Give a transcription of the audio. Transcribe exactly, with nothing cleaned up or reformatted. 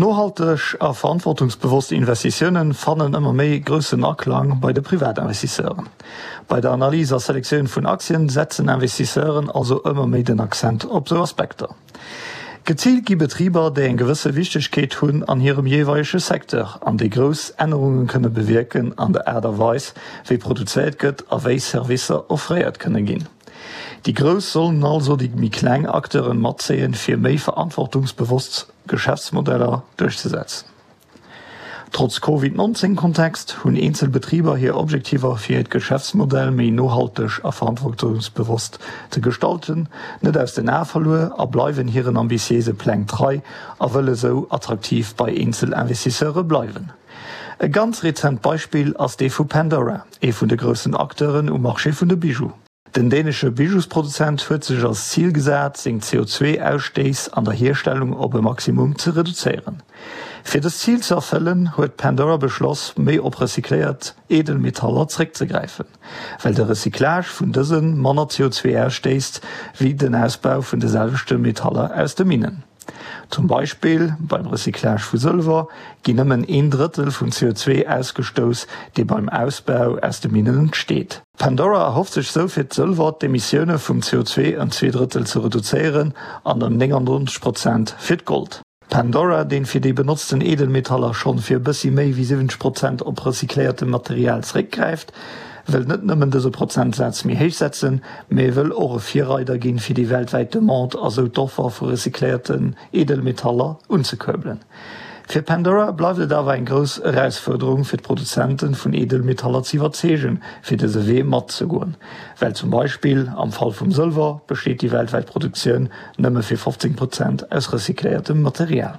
Nohalteg a verantwortungsbewosst Investitiounen fannen ëmmer méi groussen Aklang bei de Privatinvestisseuren. Bei der Analys a Selektioun vun Aktien setzen Investisseuren also ëmmer méi den Accent op sou Aspekter. Geziilt gi Betriber, déi eng gewësse Wichtegkeet hunn an hirem jeeweilege Secteur an déi grouss Ännerunge kënne bewierken an der Aart a Weis, wéi produzéiert gëtt a wéi Servicer offréiert kënne ginn. Déi Grouss sollen also déi méi kleng Acteuren matzéien, fir méi verantwortungsbewosst Geschäftsmodeller duerchzesetzen. Trotz Covid nonzéng Kontext hunn eenzel Betriber hir Objektiver fir hiert Geschäftsmodell méi nohalteg a verantwortungsbewosst ze gestalten net aus den Ae verluer a bleiwen hiren ambitiéise Pläng trei a wëlle sou attraktiv bei eenzel Investisseure bleiwen. E ganz rezent Beispill ass dee vu Pandora, ee vun de groussen Acteuren um Marché vun de Bijoux. Den dänesche Bijousproduzent huet sech als Zil gesat, seng C O zwei Ausstéiss an der Hierstellung op e Maximum ze reduzéieren. Fir dëst Zil ze erfëllen, huet Pandora beschloss, méi op recycléiert Edelmetaller zréckzegräifen, well de Recyclage vun dëse manner C O zwei ausstéisst wéi den Ausbau vun de selwechte Metaller aus de Minnen. Zum Beispill beim Recyclage vu Sëlwer ginn nëmmen een Drëttel vum C O zwei ausgestouss, dee beim Ausbau aus de Minnen entsteet. Pandora erhofft sech sou fir d'Sëlwer d'Emissioune vum C O zwei ëm zwee Drëttel ze reduzéieren an ëm néngannonzeg Prozent fir d'Gold. Pandora, deen fir déi benotzten Edelmetaller schonn fir e bëssi méi wéi siwwenzeg Prozent op recycléiertem Material zeréckgräift, wëll net nëmmen dëse Prozentsaz méi héich setzen, mee wëll och e Virreider ginn, fir déi weltwäit Demande a sou d'Offer vu recycléierten Edelmetaller unzekuerbelen. Fir Pandora bleift et awer eng grouss Erausfuerderung fir d'Produzenten vun Edelmetaller ze iwwerzeegen, fir dëse Wee matzegoen, well zum Beispill am Fall vum Sëlwer besteet déi weltwäit Produktioun nëmme fir fofzéng Prozent aus recycléiertem Material.